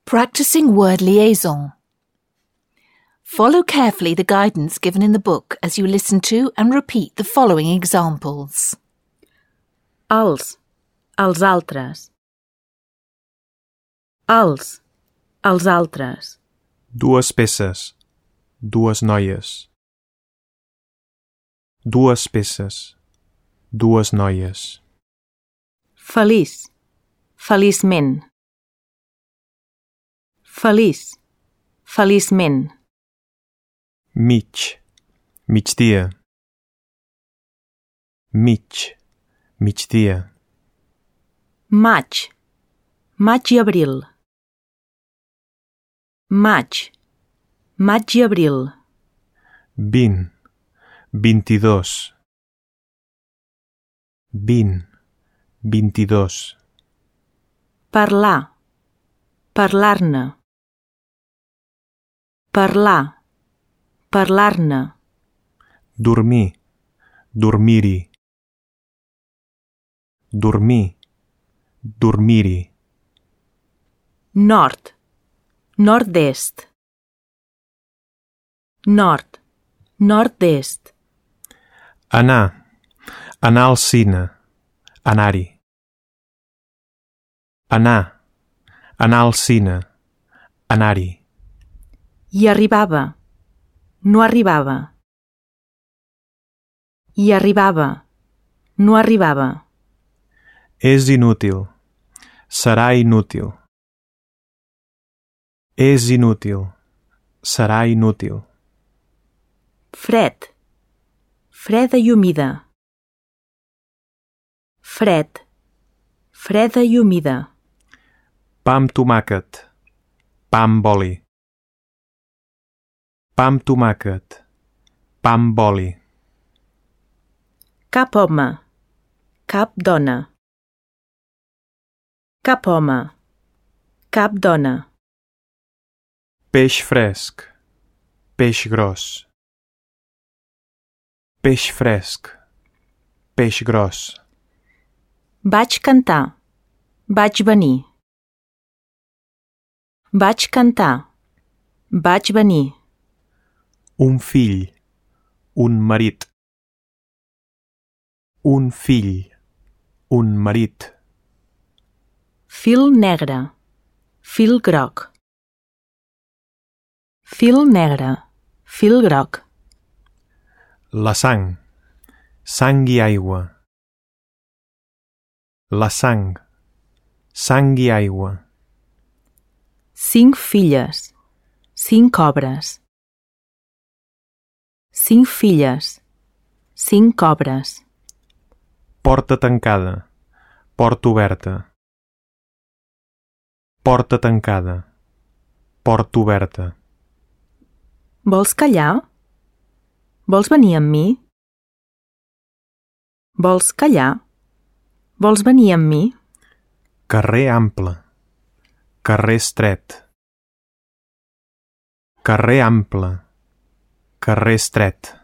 Practicing word liaison. Follow carefully the guidance given in the book as you listen to and repeat the following examples. Els altres. Els altres. Dues peces, dues noies. Dues peces, dues noies. Feliç, feliçment. Feliç, feliçment. Mig, migdia. Mig, migdia. Maig, maig i abril. Maig, maig i abril. 20, 22. 20, 22. Parlar, parlar-ne. Parlar, parlar-ne. Dormir, dormir-hi. Dormir, dormir-hi. Nord, nord-est. Nord, nord-est. Anar al cine, anar-hi. Anar al cine, anar-hi. Hi arribava, no arribava. Hi arribava, no arribava. És inútil, serà inútil. És inútil, serà inútil. Fred, freda i humida. Fred, freda i humida. Pa amb tomàquet, pa amb oli. Pa amb tomàquet, pa amb oli. Cap home, cap dona. Cap home, cap dona. Peix fresc, peix gros. Peix fresc, peix gros. Vaig cantar, vaig venir. Vaig cantar, vaig venir. Un fill, un marit. Un fill, un marit. Fil negre, fil groc. Fil negre, fil groc. La sang, sang i aigua. La sang i aigua. 5 filles, 5 obres. 5 filles, 5 obres. Porta tancada, porta oberta. Porta tancada, porta oberta. Vols callar? Vols venir amb mi? Vols callar? Vols venir amb mi? Carrer ample, carrer estret. Carrer ample, carrer estret.